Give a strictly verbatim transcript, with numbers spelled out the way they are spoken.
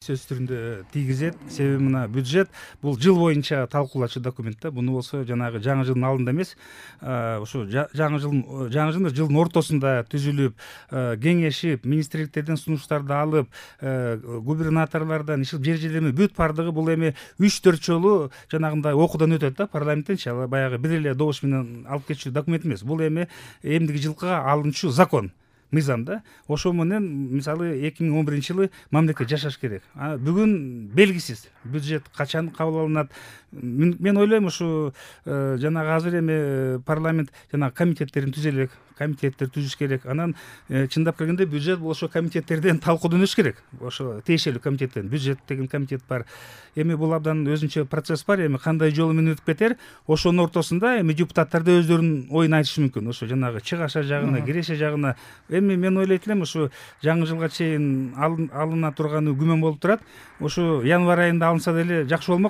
сөз түрүндө тийгизет. Себеби мына бюджет бул жыл боюнча талкуулачу документ да. Буну болсо жанагы жаңы жылдын алдында эмес, ошо жаңы жыл жаңы жылдын жылдын ортосунда түзүлүп, кеңешип, министрликтерден сунуштарды алып, губернаторлордон иши жер жердеме бүт бардыгы бул эми үч төрт жолу жанагындай окуудан өтөт да парламенттенчи. Ал баягы бир эле добуш менен алып кетчү документ эмес. Бул эми эмдиги жылкыга алынчу закон. Мыйзам да. Ошо менен мисалы эки миң он биринчи жылы мамлекет жашаш керек. А бүгүн белгисиз. Бюджет качан кабыл алынат? Мен ойлойм ушу жанагы азыр эми парламент жанагы комитеттерин түзө элек, комитеттер түзүш керек. Анан чындап келгенде бюджет бул ошо комитеттерден талкуудан өтүш керек. Ошо тиешелүү комитеттен бюджет деген комитет бар. Эми бул абдан өзүнчө процесс бар. Эми кандай жолу менен өтүп кетер? Ошонун ортосунда эми депутаттар да өздөрүнүн оюн айтышы мүмкүн. Ошо жанагы чыгаша жагына, киреше жагына. Эми мен ойлойт элем ушу жаңы жылга чейин алына турганы күмөн болуп турат. Ошо январь айында алынса деле жакшы болмок.